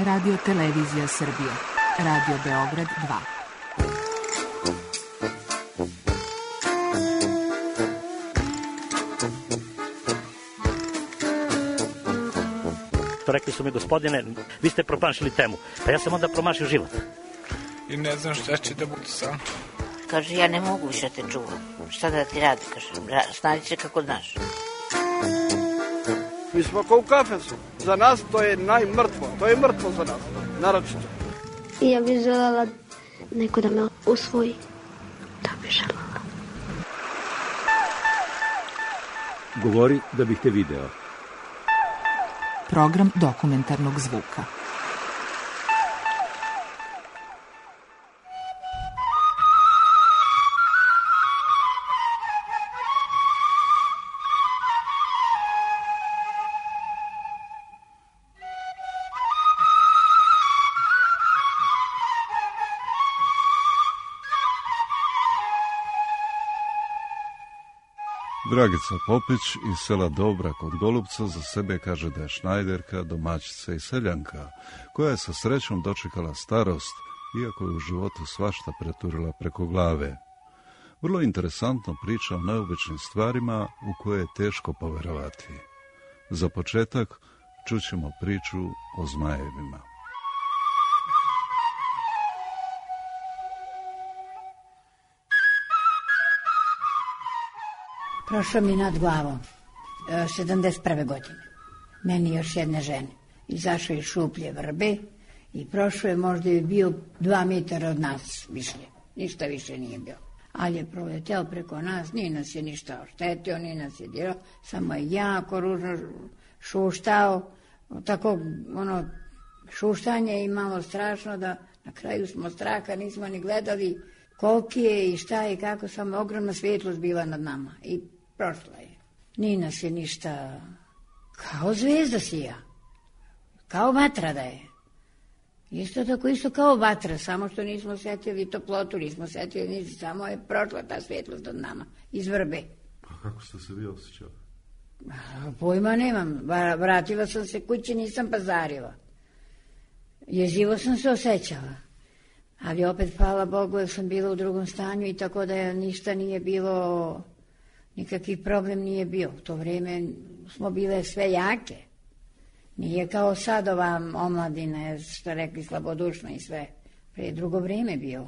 Radio Televizija Srbije. Radio Beograd 2. Rekli su mi, gospodine, vi ste promašili temu. Pa ja sam onda promašio život. I ne znam šta će da bude sam. Kaže, ja ne mogu više te čuvam. Šta da ti radi? Kaže, snađi se kako znaš. Mi smo kao u kafesu. Za nas to je najmrtvo. To je mrtvo za nas. Naročito. I ja bih željela neko da me usvoji. Da bih željela. Govori da bih te video. Program dokumentarnog zvuka. Dragica Popić iz sela Dobra kod Golubca za sebe kaže da je šnajderka, domaćica i seljanka, koja je sa srećom dočekala starost, iako je u životu svašta preturila preko glave. Vrlo interesantno priča o neobičnim stvarima u koje je teško poverovati. Za početak čućemo priču o zmajevima. Prošlo mi nad glavom, 71. godine. Meni još jedne žene. Izašao iz šuplje vrbe i prošlo je, možda je bio 2 metara od nas više. Ništa više nije bilo. Ali je proleteo preko nas, nije nas je ništa oštetio, nije nas je dirao, samo je jako ružno šuštao. Tako, šuštanje i malo strašno da na kraju smo straha, nismo ni gledali koliki je i šta je i kako, samo ogromna svjetlost bila nad nama i prošla je. Nije nas je ništa, kao zvezda sija, kao vatra da je. Isto tako, isto kao vatra, samo što nismo setili toplotu, nismo setili ništa, samo je prošla ta svjetlost nad nama, iz vrbe. A kako ste se vi osjećali? Pojma nemam, vratila sam se kući, nisam pazarila. Jezivo sam se osjećala. Ali opet, hvala Bogu, jer sam bila u drugom stanju i tako da ništa nije bilo, nikakvi problem nije bio. U to vrijeme smo bile sve jake. Nije kao sad ova omladina, što rekli, slabodušna i sve. Prije drugo vrijeme bio.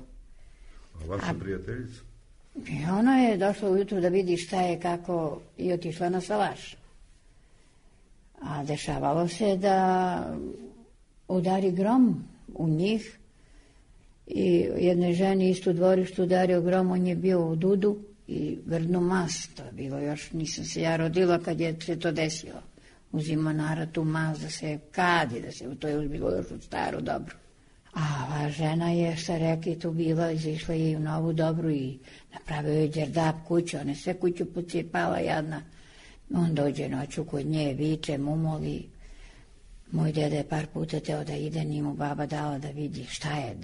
A vaša prijateljica? Ona je došla ujutru da vidi šta je, kako, i otišla na salaš. A dešavalo se da udari grom u njih. I jednoj ženi isto u dvorištu udario grom, on je bio u dudu i grdnu mast. To je bilo još, nisam se ja rodila kad je se to desilo. Uzimo narod tu mast da se kadi, to je bilo još u staru dobru. A ova žena je, šta reki, tu bila, izišla je u novu dobru i napravio je đerdap kuću, ona sve kuću pocijepala jadna. On dođe noću kod nje, viče, mumoli. Moj deda je par puta teo da ide, nije mu baba dala da vidi šta je,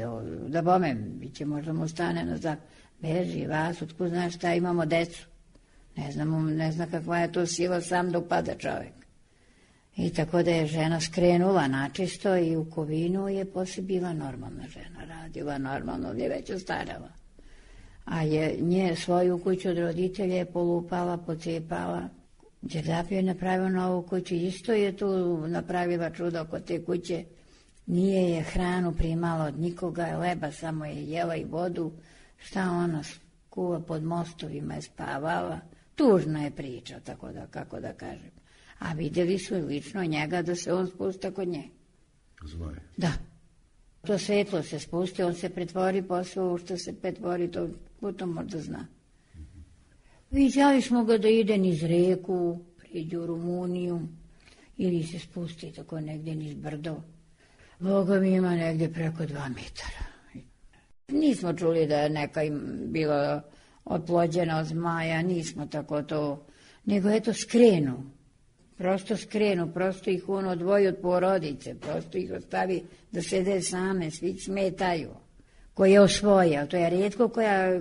da bome, bit će možda mu stane nazad. Beži vas, otkud znaš šta, imamo decu. Ne zna kakva je to sila sam da upada čovjek. I tako da je žena skrenula načisto i u Kovinu je poslije bila normalna žena, radila normalno, je već ostarala. A je nje svoju kuću od roditelja je polupala, pocijepala. Đerdap je napravio novu kuću, isto je tu napravila čudo oko te kuće. Nije je hranu primala od nikoga, leba samo je jela i vodu. Šta ona kuva pod mostovima je spavala. Tužna je priča, tako da, kako da kažem. A vidjeli su lično njega da se on spusta kod nje. Zmaj. Da. To svetlo se spusti, on se pretvori posle u što se pretvori, to potom možda zna. Viđali smo ga da ide niz reku, priđe u Rumuniju, ili se spusti tako negdje niz brdo. Boga mi ima negdje preko 2 metara. Nismo čuli da je neka bila oplođena od zmaja, nismo tako to, nego eto skrenu. Prosto ih on odvoji od porodice, prosto ih ostavi da sede same, svi smetaju. Koji je osvoja, to je rijetko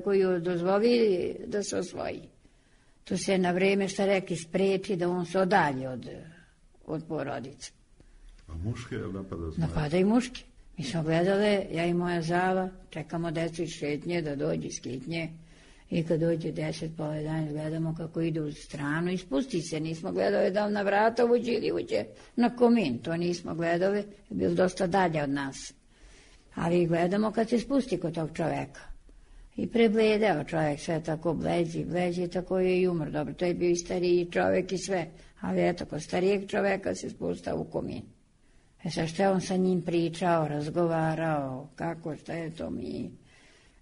koju dozvoli da se osvoji. To se na vrijeme, šta rekli, spreči da on se odalje od porodice. A muške je napada zmaja? Napada i muške. Mi smo gledale, ja i moja Zala, čekamo decu iz šetnje da dođe iz kitnje i kad dođe 10, pola 11, gledamo kako ide u stranu i spusti se. Nismo gledali da na vrata uđe ili uđe na komin, to nismo gledali, je bilo dosta dalje od nas. Ali gledamo kad se spusti kod tog čoveka. I prebledeo čovjek, sve tako bleđi, tako je i umr. Dobro, to je bio i stariji čovjek i sve, ali eto, kod starijeg čovjeka se spustao u komin. Sad što je on sa njim pričao, razgovarao, kako, šta je to mi...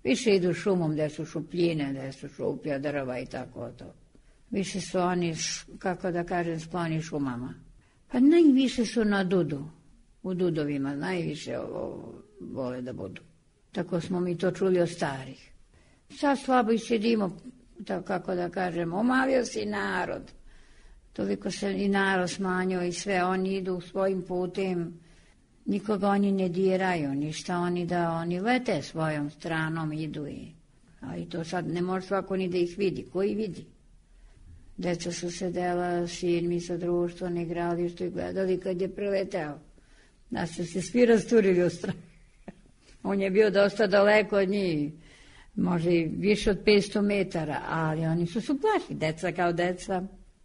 Više idu šumom gde su šupljine, gde su šuplja drva i tako to. Više su oni, kako da kažem, skloni šumama. Pa najviše su na dudu, u dudovima, najviše vole da budu. Tako smo mi to čuli od starih. Sad slabo i sedimo, tako kako da kažem, omavio se i narod. Toliko se i narod smanjio i sve, oni idu svojim putem, nikoga oni ne diraju, ništa oni lete svojom stranom, idu i... Ali to sad ne može svako ni da ih vidi, koji vidi? Deca su sedela, sin mi sa društvom, igrali što i gledali kad je preleteo. Da su se svi rasturili u stranu. On je bio dosta daleko od njih, možda i više od 500 metara, ali oni su plašili, deca kao deca,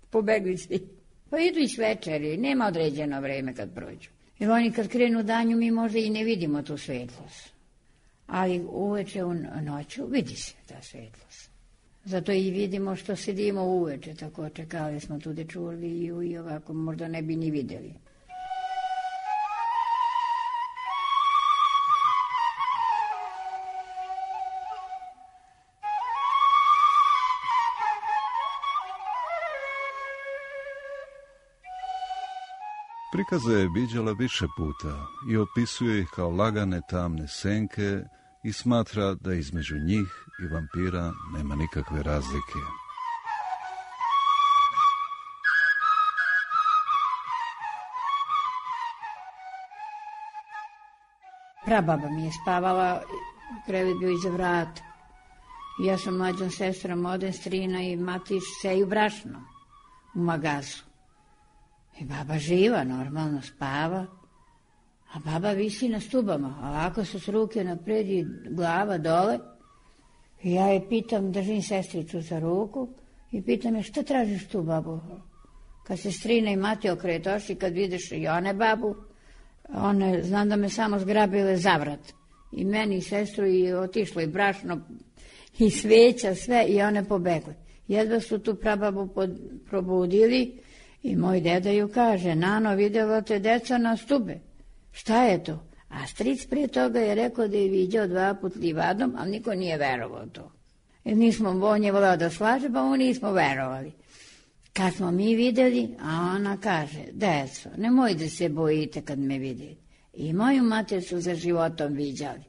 pobegli svi. Pa idu i večeri, nema određeno vreme kad prođu. Jer oni kad krenu danju mi možda i ne vidimo tu svetlost. Ali uveče u noću vidi se ta svetlost. Zato i vidimo što sedimo uveče, tako čekali smo tu dečurli i ovako možda ne bi ni videli. Prikaze je viđala više puta i opisuje ih kao lagane tamne senke i smatra da između njih i vampira nema nikakve razlike. Prababa mi je spavala, krevet bio iza vrata. Ja sam mlađom sestrom odem, strina i matić seju brašno u magazu. I baba živa, normalno spava, a baba visi na stubama, ovako su s ruke napred i glava dole. I ja je pitam, držim sestricu za ruku i pitam je šta tražiš tu, babu? Kad se strina i mati okretoši, kad vidiš i one babu, one, znam da me samo zgrabile za vrat. I meni i sestru i otišlo i brašno i sveća, sve, i one pobegle. Jedva su tu prababu probudili i moj deda ju kaže, Nano, vidjela te deca na stube. Šta je to? A stric prije toga je rekao da je viđao 2 put livadom, ali niko nije verovao to. Jer on je voleo da slaže, pa oni nismo verovali. Kad smo mi vidjeli, a ona kaže, deco, nemoj da se bojite kad me vidite. I moju mater su za životom viđali.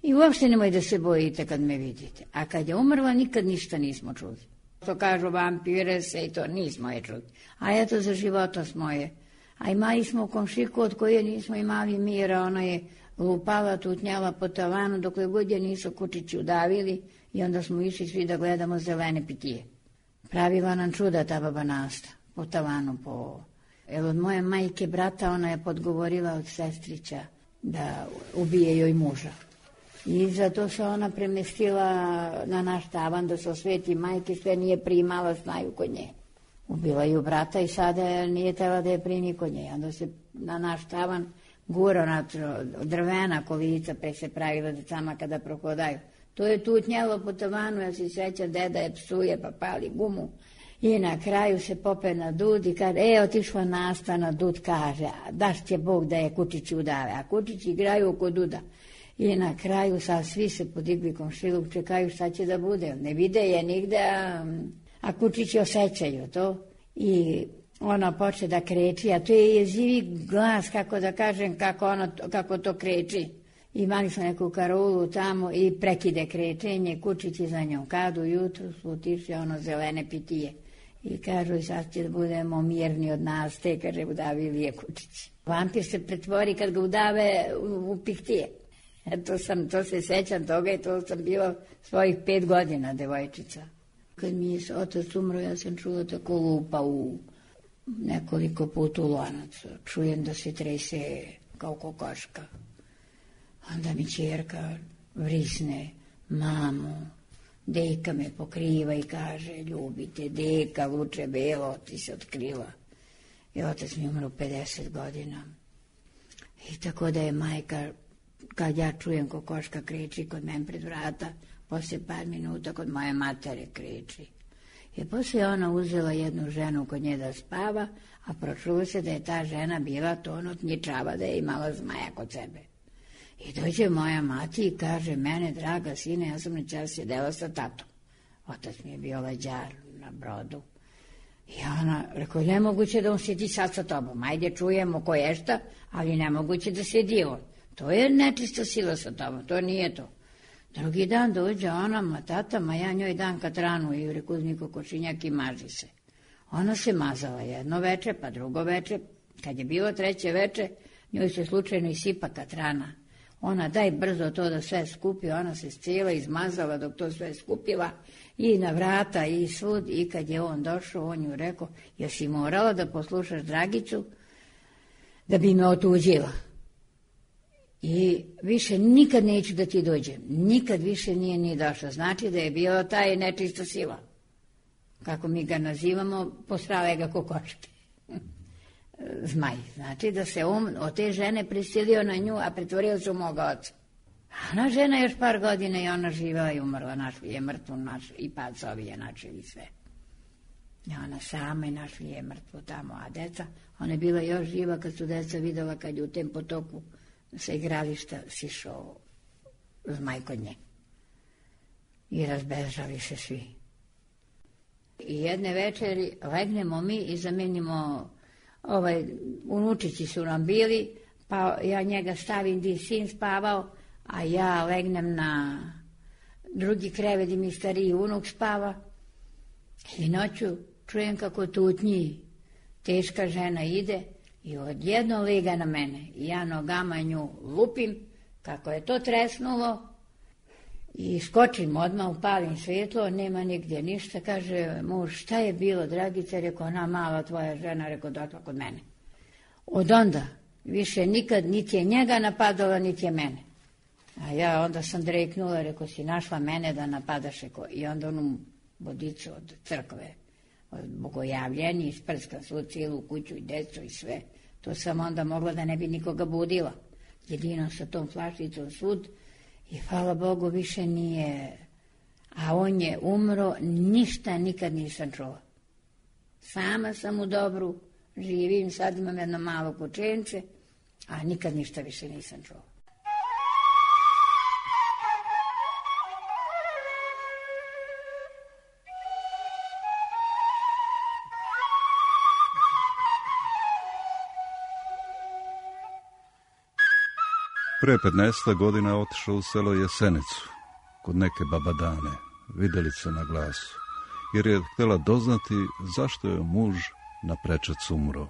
I uopšte nemoj da se bojite kad me vidite. A kad je umrla, nikad ništa nismo čuli. To kažu vampire se i to nismo je čuli. A eto za života smo je. A imali smo u komšiku od koje nismo imali mira, ona je lupala, tutnjala po tavanu dokle god je nisu kučići udavili i onda smo išli svi da gledamo zelene pitije. Pravila nam čuda ta baba Nasta, po tavanu, po ovo. Evo od moje majke brata ona je podgovorila od sestrića da ubije joj muža. I zato se ona premestila na naš tavan da se osveti majke, sve nije primala snaju kod nje. Ubila ju brata i sada nije tela da je primi kod nje. Onda se na naš tavan gura na drvena kolica, pre se pravila decama kada prohodaju. To je tutnjelo po tavanu, ja se sjećam, deda je psuje pa pali gumu. I na kraju se pope na dud i kaže, otišla Nasta na dud, kaže, daš će Bog da je kučići udave, a kučići igraju oko duda. I na kraju sad svi se podigli komšiluk, čekaju šta će da bude, ne vide je nigde, a kučići osjećaju to. I ona poče da kreći, a to je jezivi glas, kako da kažem, kako to kreći. Imali smo neku karulu tamo i prekide krečenje, kučići za njom. Kad ujutru su otišli zelene pitije. I kažu, sad će da budemo mirni od nas, te, kaže, udavili je kučići. Vampir se pretvori kad ga udave u pihtije. To se sećam toga i to sam bila svojih 5 godina, devojčica. Kad mi je otac umro, ja sam čula tako lupa nekoliko puta u lonac. Čujem da se trese kao kokoška. Onda mi ćerka vrisne, mamu, deka me pokriva i kaže, ljubite, deka, luče belo, ti se otkrila. I otac mi umro 50 godina. I tako da je majka, kad ja čujem kokoška kriči kod mene pred vrata, poslije par minuta kod moje matere kriči. I poslije ona uzela jednu ženu kod nje da spava, a pročulo se da je ta žena bila tonotnjičava, da je imala zmaja kod sebe. I dođe moja mati i kaže, mene, draga sine, ja sam noćas sjedela sa tatom. Otac mi je bio leđar na brodu. I ona rekao, nemoguće da on sjedi sad sa tobom. Ajde, čujemo ko je šta, ali nemoguće da sjedi on. To je nečista sila sa tobom, to nije to. Drugi dan dođe ona, ma tata, ma ja njoj dam katranu i reku uzmi kokošinjak i maži se. Ona se mazala jedno veče, pa drugo veče. Kad je bilo treće veče, njoj se slučajno isipa katrana. Ona daj brzo to da sve skupi, ona se cijela izmazala dok to sve skupila i na vrata i svud. I kad je on došao, on ju rekao, jesi morala da poslušaš Dragicu da bi me otuđila. I više nikad neću da ti dođem. Nikad više nije ni došla. Znači da je bila taj nečista sila. Kako mi ga nazivamo, postrale ga kokoške. Zmaj. Znači da se on od te žene prisilio na nju, a pretvorio se u moga oca. Ona žena još par godina i ona živela i umrla. Našli je mrtvu, i pacovi je načeli sve. I ona sama je našli je mrtvu tamo, a deca, ona je bila još živa kad su deca videla kad je u tem potoku sa igrališta sišao zmaj kod nje. I razbežali se svi. I jedne večeri legnemo mi i zamenimo, unučići su nam bili, pa ja njega stavim gdje sin spavao, a ja legnem na drugi krevet gdje mi stariji unuk spava. I noću čujem kako tutnji teška žena ide i odjedno liga na mene. I ja nogama nju lupim, kako je to tresnulo, i skočim odmah, upalim svjetlo, nema nigdje ništa. Kaže muž, šta je bilo, Dragica? Rekao, ona mala tvoja žena, rekao, došla kod mene. Od onda više nikad niti je njega napadala, niti je mene. A ja onda sam dreknula, rekao, si našla mene da napadaš, rekao, i onda onu vodicu od crkve, od bogojavljenja, isprskam svu cijelu kuću i decu i sve. To sam onda mogla da ne bi nikoga budila. Jedino sa tom flašicom svud i hvala Bogu više nije. A on je umro, ništa nikad nisam čula. Sama sam u dobru, živim, sad imam jedno malo kućence, a nikad ništa više nisam čula. Pre 15 godina otišao u selo Jesenicu, kod neke babadane, videlice na glasu, jer je htjela doznati zašto je muž na prečac umro.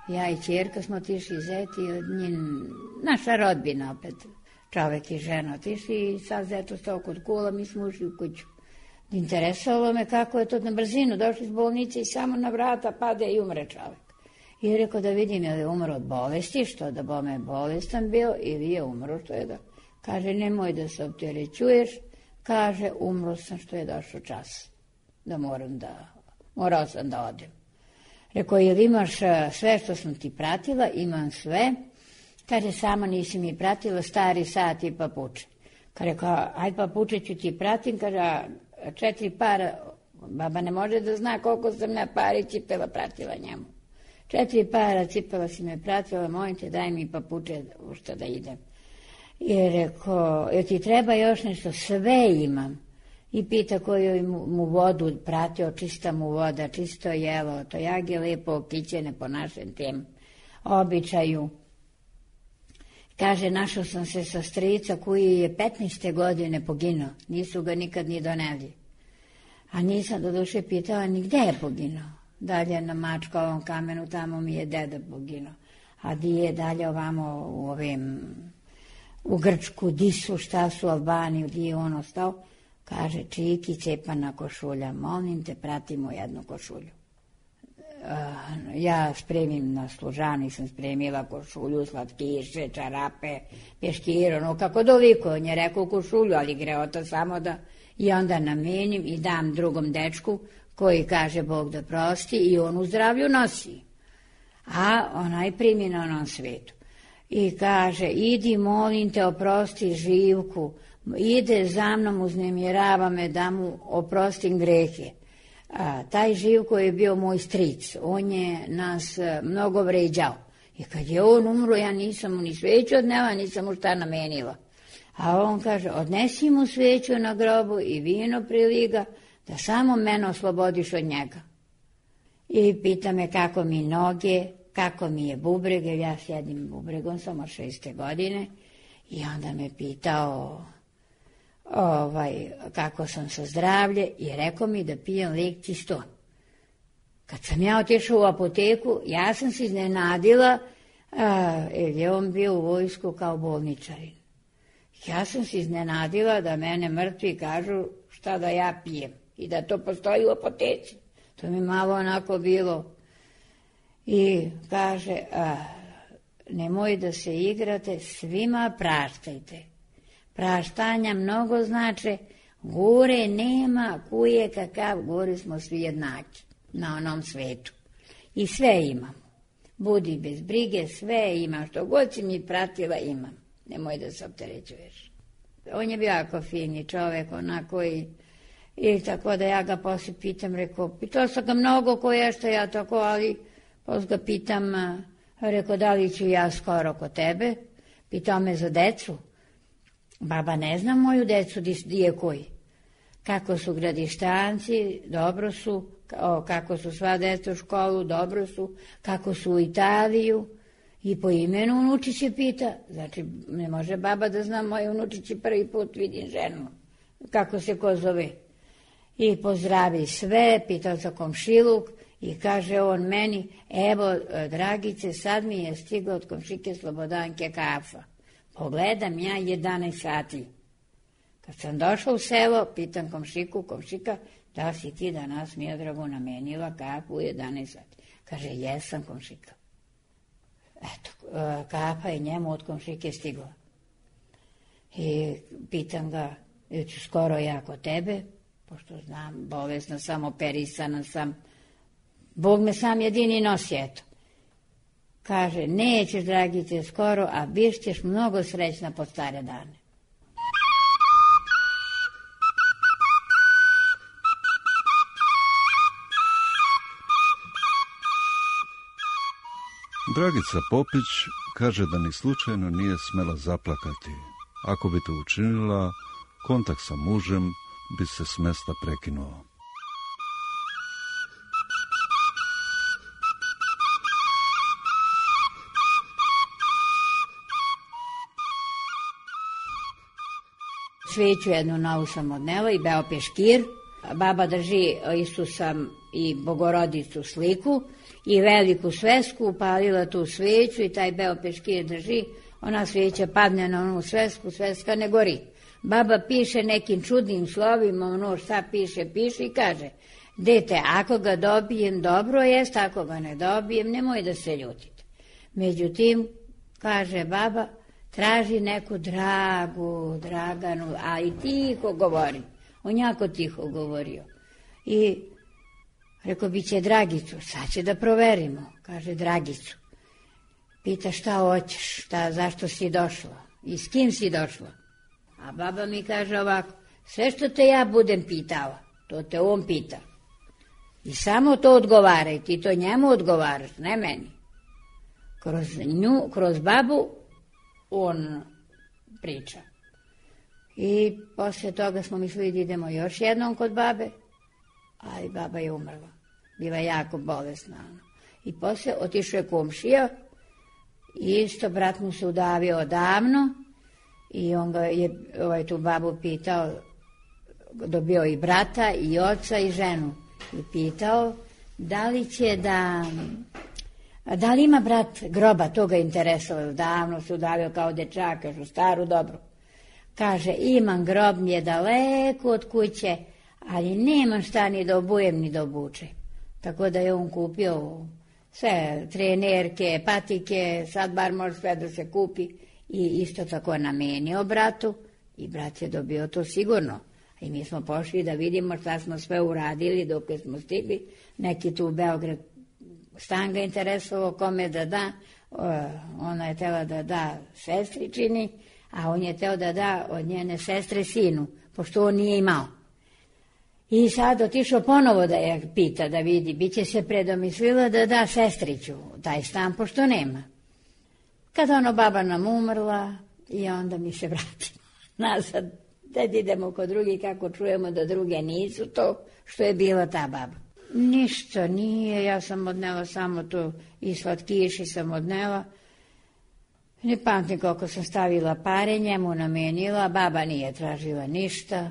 Ja i ćerka smo otišli zeti, naša rodbina opet, čovek i žena otišli i sad zeto stao kod kula, mi smo ušli u kuću. Interesovalo me kako je to na brzinu, došli iz bolnice i samo na vrata pade i umre čovjek. I je rekao da vidim je li umro od bolesti, što da bome je bolestan bio, ili je umro što je da. Kaže, nemoj da se opterećuješ, kaže, umro sam što je došao čas, da morao sam da odem. Rekao, jel imaš sve što sam ti pratila? Imam sve. Kaže, samo nisi mi pratila, stari sat i papuče. Kaže, rekao, aj papuče ću ti pratim, kaže, 4 para, baba ne može da zna koliko sam ja pari cipela pratila njemu. 4 para cipela si me pratila, molim te, daj mi papuče u što da idem. I rekao, jel ti treba još nešto? Sve imam. I pita koju mu vodu pratio, čista mu voda, čisto jelo, to jage lepo okićene po našem tem običaju. Kaže, našao sam se sa strica koji je 15. godine poginuo, nisu ga nikad ni doneli. A nisam do duše pitala ni gde je poginuo. Dalje na Mačkovom kamenu, tamo mi je deda poginuo. A di je dalje ovamo u Grčku, di su, šta su Albaniju, di je on ostao. Kaže, Čiki, cepana košulja, molim te, pratimo jednu košulju. Ja spremim na služani, sam spremila košulju, slatkiše, čarape, peškir, ono kako doliko. On je rekao košulju, ali greota samo da... I onda namenim i dam drugom dečku koji kaže Bog da prosti i on u zdravlju nosi. A onaj primi na onom svetu. I kaže, idi molim te oprosti Živku, ide za mnom, uznemirava me da mu oprostim grehe. Taj Živko je bio moj stric, on je nas mnogo vređao. I kad je on umro, ja nisam mu ni sveću odnela, nisam mu šta namenila. A on kaže, odnesi mu sveću na grobu i vino priliga, da samo mene oslobodiš od njega. I pita me kako mi noge, kako mi je bubreg, jer ja sjedim bubregom samo 6. godine. I onda me pitao kako sam sa zdravlje i rekao mi da pijem lek Ciston. Kad sam ja otišla u apoteku, ja sam se iznenadila, jer je on bio u vojsku kao bolničarin. Ja sam se iznenadila da mene mrtvi kažu šta da ja pijem i da to postoji u apoteci. To mi malo onako bilo. I kaže, nemoj da se igrate, svima praštajte. Praštanja mnogo znače, gore nema kuje kakav, gore smo svi jednaki na onom svetu. I sve imamo. Budi bez brige, sve imam, što god si mi pratila imam. Nemoj da se opterećuješ. On je bio jako fini čovek, onako i tako da ja ga poslije pitam, pitao sam ga mnogo koje što ja tako, ali poslije ga pitam, rekao, da li ću ja skoro kod tebe? Pitao me za decu. Baba ne zna moju decu, di je koji. Kako su Gradištanci, dobro su, kako su sva deca u školu, dobro su, kako su u Italiju. I po imenu unučiće pita, znači ne može baba da zna moje unučiće, prvi put vidim ženu, kako se ko zove. I pozdravi sve, pitao za komšiluk i kaže on meni, evo Dragice, sad mi je stigla od komšike Slobodanke kafa. Pogledam ja 11 sati. Kad sam došla u selo, pitam komšika, da si ti danas Miodragu namenila kafu u 11 sati? Kaže, jesam komšika. Eto, kafa je njemu od komšike stigla. I pitam ga, ću skoro ja kod tebe, pošto znam, bolesna sam, operisana sam, Bog me sam jedini nosi, eto. Kaže, nećeš, Dragice, skoro, a biš ćeš mnogo srećna pod stare dane. Dragica Popić kaže da ni slučajno nije smela zaplakati. Ako bi to učinila, kontakt sa mužem bi se s mesta prekinuo. Sveću jednu novu sam odnela i beo peškir. Baba drži Isusa i Bogorodicu sliku i veliku svesku, upalila tu sveću i taj beo peškir drži. Ona sveća padne na onu svesku, sveska ne gori. Baba piše nekim čudnim slovima, ono šta piše i kaže, dete, ako ga dobijem, dobro jest, ako ga ne dobijem, nemoj da se ljutite. Međutim, kaže baba, traži neku Draganu, ali tiho govori. On jako tiho govorio. I rekao, bit će Dragicu, sad će da proverimo. Kaže, Dragicu. Pita šta hoćeš, zašto si došla i s kim si došla. A baba mi kaže ovako, sve što te ja budem pitala, to te on pita. I samo to odgovaraj, ti to njemu odgovaraš, ne meni. Kroz babu on priča. I poslije toga smo mislili da idemo još jednom kod babe, ali baba je umrla. Bila jako bolesna. I poslije otišao je komšija, isto brat mu se udavio odavno i on ga je tu babu pitao, dobio i brata i oca i ženu i pitao da li će da Da li ima brat groba, to ga interesovalo, davno se udavio kao dečak, još u staru dobru. Kaže, imam grob, mi je daleko od kuće, ali nemam šta ni da obujem, ni da obuče. Tako da je on kupio sve trenerke, patike, sad bar može sve da se kupi i isto tako namenio bratu i brat je dobio to sigurno. I mi smo pošli da vidimo šta smo sve uradili dok smo stigli. Neki tu u Beograd stan ga interesovao kome da da, ona je tela da da sestričini, a on je teo da da od njene sestre sinu, pošto on nije imao. I sad otišao ponovo da je pita, da vidi, bit će se predomislila da da sestriću taj stan, pošto nema. Kada ono baba nam umrla i onda mi se vrati nazad, da idemo kod drugih kako čujemo da druge nisu to što je bila ta baba. Ništa nije, ja sam odnela samo to i slatkiši sam odnela. Ne pamtim koliko sam stavila pare, njemu namenila, baba nije tražila ništa.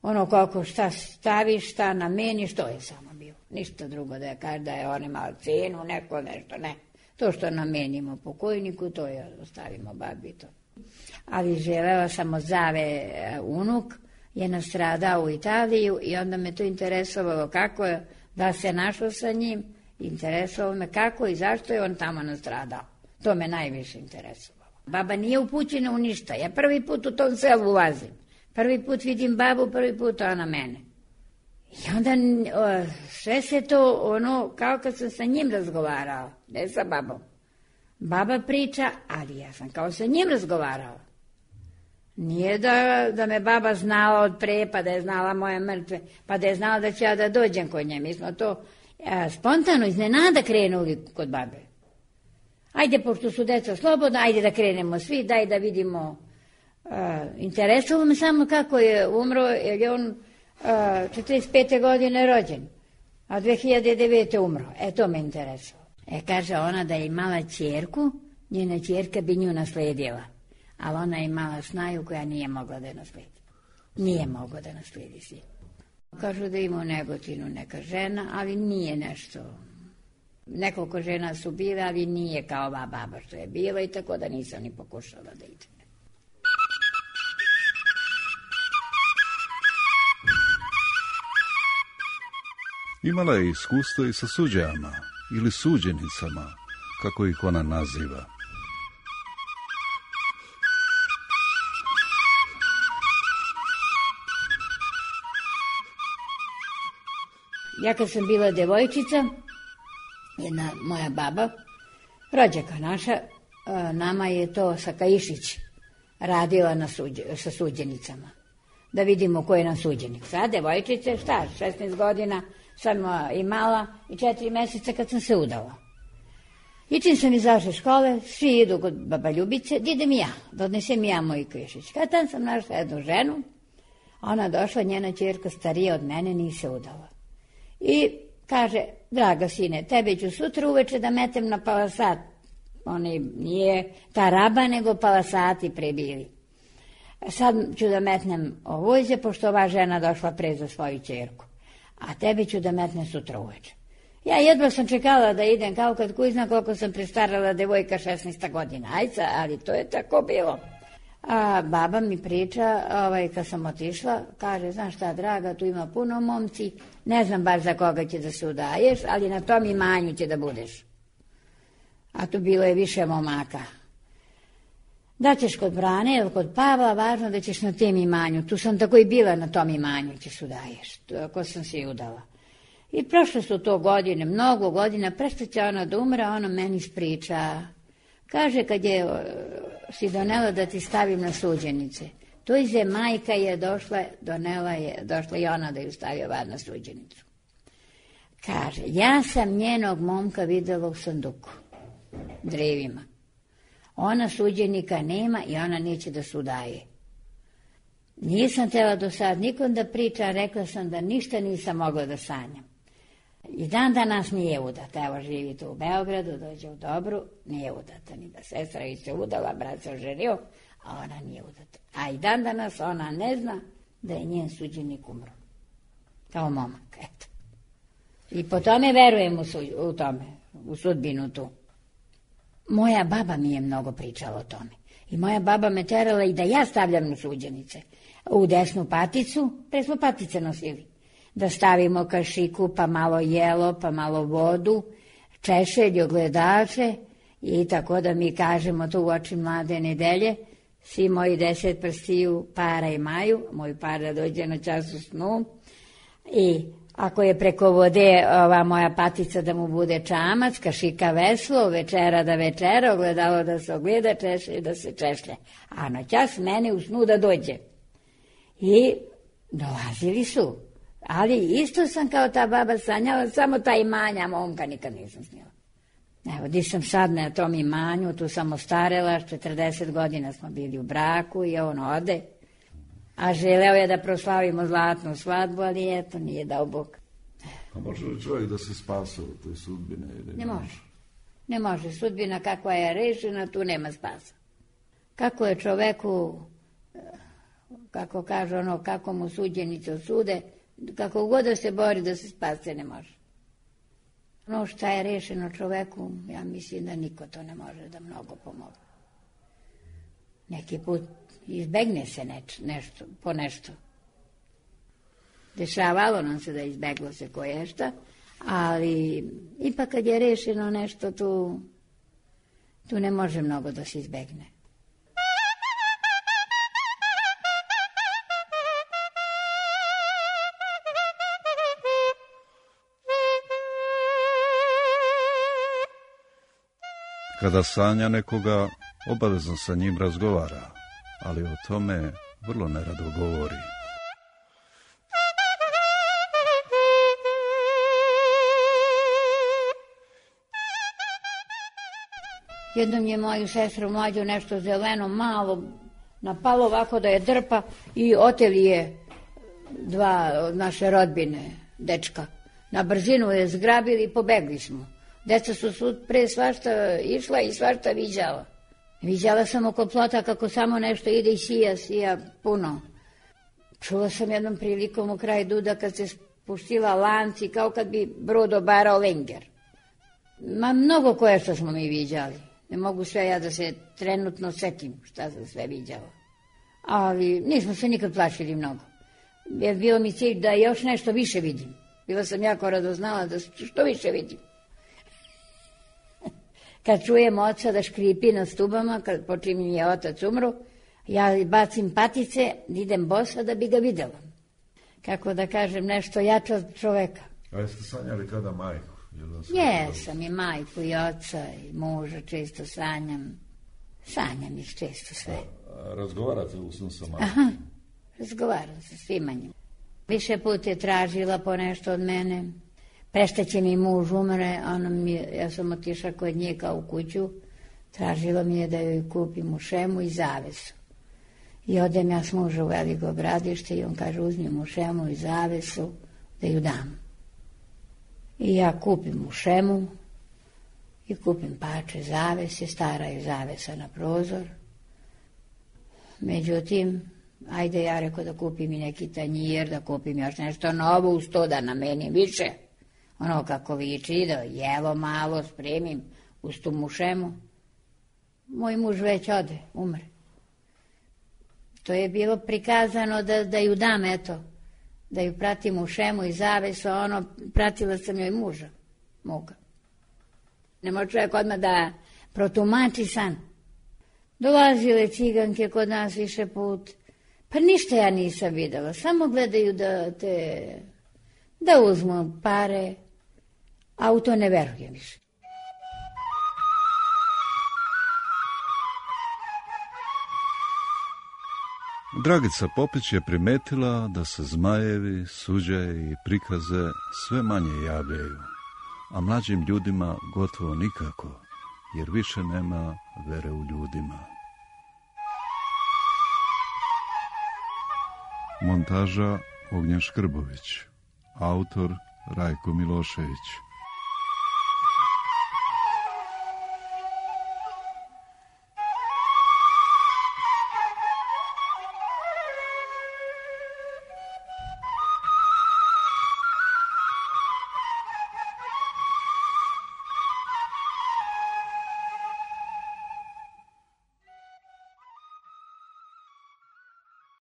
Ono koliko šta staviš, šta nameniš, to je samo bilo. Ništa drugo da je kaže da je on imao cenu, neko nešto, ne. To što namenimo pokojniku, to je ostavimo babi to. Ali želela sam od Zave unuk, je nastradao u Italiju i onda me to interesovalo kako je, da se našao sa njim, interesovalo me kako i zašto je on tamo nastradao. To me najviše interesovalo. Baba nije upućena u ništa, ja prvi put u tom selu ulazim. Prvi put vidim babu, prvi put ona mene. I onda sve se to ono, kao kad sam sa njim razgovarala, ne sa babom. Baba priča, ali ja sam kao sa njim razgovarala. Nije da me baba znala od pre, pa da je znala moje mrtve, pa da je znala da ću ja da dođem kod nje. Mi smo to spontano iznenada krenuli kod babe. Ajde, pošto su deca slobodna, ajde da krenemo svi, daj da vidimo. Interesovalo me samo kako je umro, jer je on 45. godine rođen, a 2009. umro. To me interesovalo. Kaže ona da je imala ćerku, njena ćerka bi nju nasledila. Ali ona je imala snaju koja nije mogla da je nasledi. Nije mogla da nasledi sin. Kažu da ima u Negotinu neka žena, ali nije nešto. Nekoliko žena su bile, ali nije kao ova baba što je bila i tako da nisam ni pokušala da ide. Imala je iskustvo i sa suđama ili suđenicama, kako ih ona naziva. Ja kad sam bila devojčica, jedna moja baba, rođaka naša, nama je to Sakaišić radila sa suđenicama. Da vidimo ko je nam suđenik. Sad, devojčice, 16 godina sam imala i 4 meseca kad sam se udala. I čim sam izašla iz škole, svi idu kod baba Ljubice, da idem i ja, da odnesem i ja moj krišić. Kad tam sam našla jednu ženu, ona došla, njena ćerka starija od mene, nije se udala. I kaže, draga sine, tebe ću sutra uveče da metem na palasat. Oni nije ta raba, nego palasati prebili. Sad ću da metnem ovođe, pošto ova žena došla pre za svoju ćerku. A tebe ću da metnem sutra uveče. Ja jedva sam čekala da idem, kao kad kuizna koliko sam prestarala devojka 16 godina. Ajca, ali to je tako bilo. A baba mi priča, kad sam otišla, kaže, znaš šta, draga, tu ima puno momci, ne znam baš za koga će da se udaješ, ali na tom imanju će da budeš. A tu bilo je više momaka. Da ćeš kod Brane ili kod Pavla, važno da ćeš na tem imanju. Tu sam tako i bila, na tom imanju ćeš udaješ, ako sam se i udala. I prošle su to godine, mnogo godina, presta će ona da umre, ona meni ispriča. Kaže, kad je si donela da ti stavim na suđenice, to ize majka je došla, došla i ona da ju stavi ovad na suđenicu. Kaže, ja sam njenog momka videla u sanduku, drevima. Ona suđenika nema i ona neće da se udaje. Nisam tela do sad nikom da pričam, rekla sam da ništa nisam mogla da sanjam. I dan danas nije udata, evo živi tu u Beogradu, dođe u Dobru, nije udata, ni da sestra i se udala, brat se oženio, a ona nije udata. A i dan danas ona ne zna da je njen suđenik umro. Kao momak, eto. I po tome verujem u tome. u sudbinu tu. Moja baba mi je mnogo pričala o tome. I moja baba me terala i da ja stavljam u suđenice. U desnu paticu, pre smo patice nosili. Da stavimo kašiku, pa malo jelo, pa malo vodu, češelj, ogledače i tako da mi kažemo to u oči mlade nedelje. Svi moji 10 prstiju para imaju, moj par da dođe na čas u snu. I ako je preko vode ova moja patica da mu bude čamac, kašika veslo, večera da večera, ogledalo da se ogleda, češlje da se češlje. A na čas mene u snu da dođe. I dolazili su. Ali isto sam kao ta baba sanjala, samo ta imanja momka nikad nisam snila. Evo, di sam sad na tom imanju, tu sam ostarela, 40 godina smo bili u braku i on ode. A želeo je da proslavimo zlatnu svadbu, ali eto, nije dao Bog. A može li čovjek da se spasa u toj sudbine? Ne može. Ne može. Sudbina kakva je rešena, tu nema spasa. Kako je čoveku, kako kaže ono, kako mu suđenice osude, kako god da se bori da se spase, ne može. Ono šta je rešeno čoveku, ja mislim da niko to ne može da mnogo pomogne. Neki put izbegne se nešto, po nešto. Dešavalo nam se da izbeglo se koješta, ali ipak kad je rešeno nešto, tu ne može mnogo da se izbegne. Kada sanja nekoga, obavezno sa njim razgovara, ali o tome vrlo nerado govori. Jednom je moju sestru mlađu nešto zeleno malo napalo ovako da je drpa i oteli je 2 od naše rodbine, dečka. Na brzinu je zgrabili i pobegli smo. Deca su pre svašta išla i svašta viđala. Viđala sam oko plota kako samo nešto ide i sija puno. Čula sam jednom prilikom u kraj Duda kad se spuštila lanci kao kad bi brod obarao lenger. Ma mnogo koje što smo mi viđali. Ne mogu sve ja da se trenutno setim šta sam sve viđala. Ali nismo se nikad plašili mnogo. Jer bio mi cilj da još nešto više vidim. Bila sam jako radoznala da što više vidim. Kad čujem oca da škripi na stubama, kad počim je otac umro, ja bacim patice, idem bosa da bi ga videla. Kako da kažem, nešto jače od čoveka. A jeste sanjali kada majku? Jesam i majku i oca i muža često sanjam. Sanjam ih često sve. Razgovarate u snu sa majkom? Aha, razgovaram sa svima njima. Više put je tražila po nešto od mene. Prešteće mi muž umre, ja sam otišla kod nje kao u kuću, tražila mi je da joj kupim mušemu i zavesu. I odem ja s muža u Veliko Bradište i on kaže uzmi mušemu i zavesu da ju dam. I ja kupim mušemu i kupim pače zavese, stara je zavesa na prozor. Međutim, ajde ja rekao da kupim i neki tanjir, da kupim još nešto novo uz to da namenim više. Ono kako liči, da jelo malo spremim uz tu mušemu. Moj muž već ode, umre. To je bilo prikazano da ju dam, eto, da ju pratim mušemu i zavesu, a pratila sam joj muža moga. Ne može čovjek odmah da protumači san. Dolazile ciganke kod nas više put, pa ništa ja nisam videla, samo gledaju da uzmu pare, a u to ne verujem više. Dragica Popić je primetila da se zmajevi, suđaji i prikaze sve manje javljaju, a mlađim ljudima gotovo nikako, jer više nema vere u ljudima. Montaža Ognjen Škrbović, autor Rajko Milošević.